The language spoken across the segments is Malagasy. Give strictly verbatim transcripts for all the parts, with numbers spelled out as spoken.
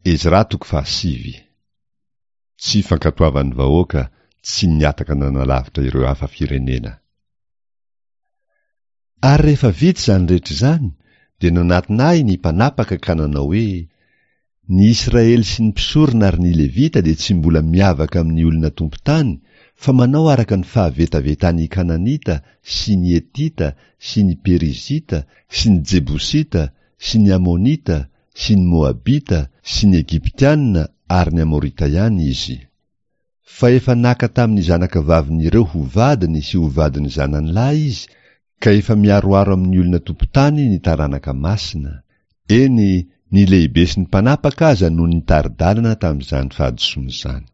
Ezra toko fahasivy. Tsy fankatoavan'ny vahoaka tsy nihataka nanalavitra ireo hafa firenena. Ary rehefa vita izany rehetra izany, dia nanatona ahy ny mpanapaka ka nanao hoe, Ny Israely sy ny mpisorona ary ny Levita dia tsy mbola miavaka amin'ny olona tompon-tany, fa manao araka ny fahavetavetan'ny Kananita sy ny Hetita sy ny Perizita sy ny Jebosita sy ny Amonita sy ny Moabita sy ny Egyptiana ary ny Amorita ihany izy. Fa efa naka tamin'ny zanakavavin'ireo ho vadiny sy ho vadin'ny zanany lahy izy, ka efa miharoharo amin'ny olona tompon-tany ny taranaka masina. Eny, ny lehibe sy ny mpanapaka aza no nitari-dalana tamin'izany fahadisoana izany.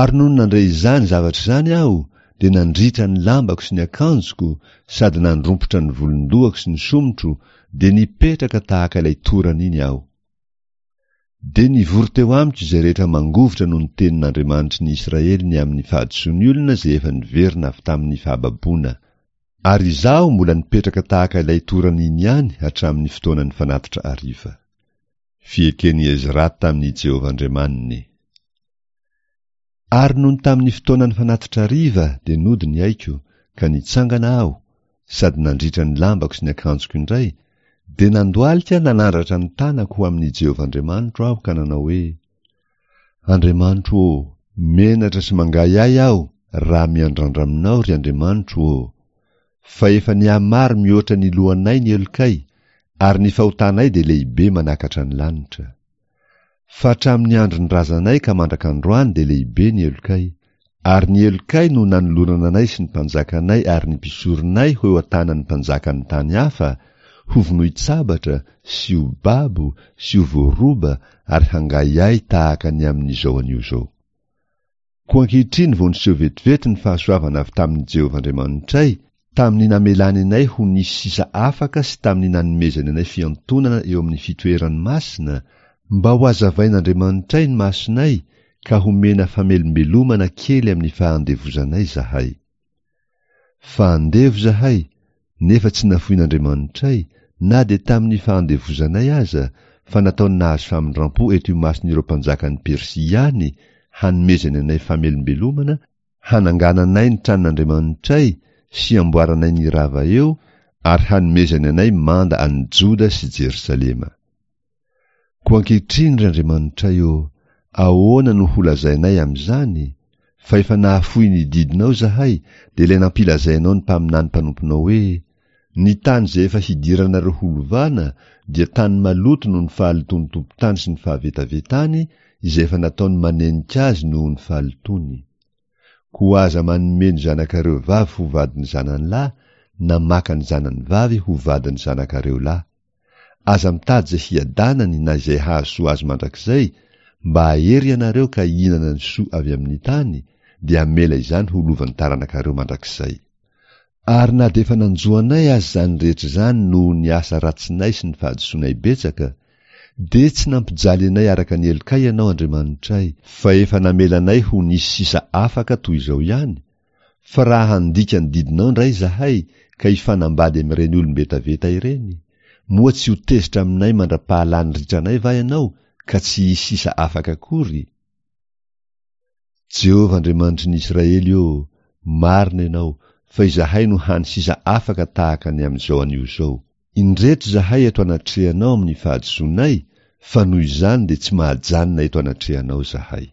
Ary nony nandre izany zavatra izany aho, dia nandritra ny lambako sy ny akanjoko, sady nandrompotra ny volon-dohako sy ny somotro, dia nipetraka tahaka ilay torana iny aho. Dia nivory teo amiko izay rehetra mangovitra noho ny tenin'Andriamanitry ny Israely ny amin'ny fahadisoan'ny olona izay efa niverina avy tamin'ny fahababoana. Ary izaho mbola nipetraka tahaka ilay torana iny ihany hatramin'ny fotoanan'ny fanatitra hariva. Fieken'i Ezra tamin'i Jehovah Andriamaniny. Ary nony tamin'ny fotoanan'ny fanatitra hariva dia nody ny aiko, ka nitsangana aho, sady nandritra ny lambako sy ny akanjoko indray, dia nandohalika nanandratra ny tanako ho amin'i Jehovah Andriamanitro aho ka nanao hoe, Andriamanitro ô, menatra sy mangahiahy aho raha miandrandra aminao, ry Andriamanitro ô! Fa efa nihamaro mihoatra ny lohanay ny helokay, ary ny fahotanay dia lehibe manakatra ny lanitra. Fa hatramin'ny andron'ny razanay ka mandrak'androany dia lehibe ny helokay, ary ny helokay no nanolorana anay sy ny mpanjakanay ary ny mpisoronay ho eo an-tanan'ny mpanjakan'ny tany hafa, hovonoin-tsabatra sy ho babo sy ho voaroba ary hangahiahy tahaka ny amin'izao anio izao. Koa ankehitriny vao niseho vetivety ny fahasoavana avy tamin'i Jehovah Andriamanitray, tamin'ny namelany anay ho nisy sisa afaka sy tamin'ny nanomezany anay fiantonana eo amin'ny fitoerany masina, mba hohazavain'Andriamanitray ny masonay ka homena famelombelomana kely amin'ny fahandevozanay izahay. Fa andevo izahay, nefa tsy nafoin'Andriamanitray, na dia tamin'ny fahandevozanay aza, fa nataony nahazo famindrampo eto imason'ireo mpanjakan'i Persia ihany, hanomezany anay famelombelomana, hanangananay ny tranon'Andriamanitray sy hamboaranay ny rava eo, ary hanomezany anay manda an'i Joda sy Jerosalema. Koa ankehitriny, ry Andriamanitray ô, ahoana no holazainay amin'izany? Fa efa nahafoy ny didinao izahay, dia ilay nampilazainao ny mpaminany mpanomponao hoe, Ny tany izay efa hidiranareo holovana dia tany maloto noho ny fahalotoan'ny tompon-tany sy ny fahavetavetany izay efa nataony manenika azy noho ny fahalotoany. Koa aza manome ny zanakareo vavy ho vadin'ny zanany lahy na maka ny zanany vavy ho vadin'ny zanakareo lahy. Aza mitady izay hiadanany na izay hahasoa azy mandrakizay, mba hahery ianareo ka hihinana ny soa avy amin'ny tany, dia hamela izany ho lovan'ny taranakareo mandrakizay. Ary na dia efa nanjo anay aza izany rehetra izany noho ny asa ratsinay sy ny fahadisoanay betsaka, dia tsy nampijaly anay araka ny helokay Ianao Andriamanitray, fa efa namela anay ho nisy sisa afaka toy izao ihany, fa raha handika ny didinao indray izahay ka hifanambady amin'ireny olom-betaveta ireny, moa tsy ho tezitra aminay mandra-pahalany ritranay va Ianao ka tsy hisy sisa afaka akory? Jehovah Andriamanitry ny Israely ô, marina Ianao, fa izahay no hany sisa afaka tahaka ny amin'izao anio izao. Indreto izahay eto anatrehanao amin'ny fahadisoanay, fa noho izany dia tsy mahajanona eto anatrehanao izahay.